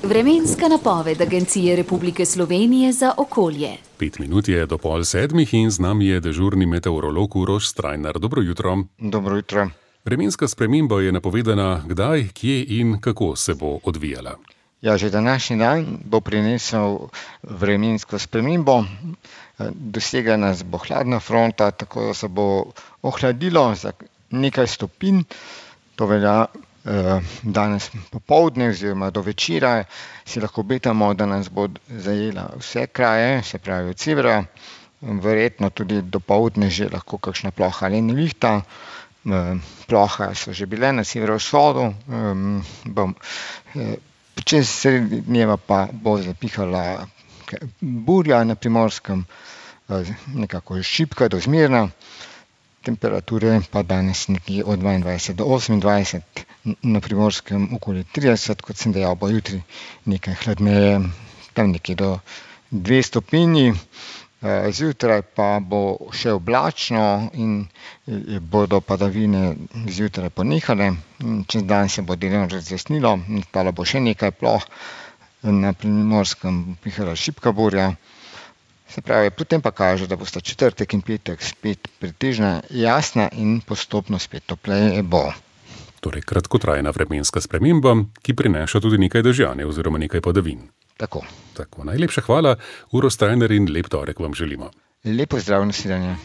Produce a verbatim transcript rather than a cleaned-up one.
Vremenska napoved Agencije Republike Slovenije za okolje. Pet minut je do pol sedmih in z nami je dežurni meteorolog Uroš Strajnar. Dobro jutro. Dobro jutro. Vremenska sprememba je napovedana kdaj, kje in kako se bo odvijala. Ja, že današnji dan bo prinesel vremensko spremembo. Dosegla nas bo hladna fronta, tako da se bo ohladilo za nekaj stopinj. To velja eh, danes popoldne oziroma do večera. Si lahko obetamo, da nas bo zajela vse kraje, se pravi od severa. Verjetno tudi dopoldne že lahko kakšna ploha ali nevihta. Eh, ploha so že bile na severovzhodu. Eh, bom, eh, Čez sredi dneva pa bo zapihala burja na Primorskem, nekako šibka do zmerna. Temperature pa danes nekje od dvaindvajset do osemindvajset, na Primorskem okoli trideset, kot sem dejal, bo jutri nekaj hladneje, tam nekje do dve stopinji. Zjutraj pa bo še oblačno in bodo padavine zjutraj ponehale. Čez dan se bo delno razjasnilo, nastalo bo še nekaj ploh, na Primorskem pihala šibka burja. Se pravi, potem pa kaže, da bosta četrtek in petek spet pretežna, jasna in postopno spet topleje bo. Torej kratkotrajna vremenska sprememba, ki prinaša tudi nekaj dežja oziroma nekaj padavin. Tako. Tako, najlepša hvala, Uroš Strajnar, in lep torek vam želimo. Lep pozdrav, nasvidenje.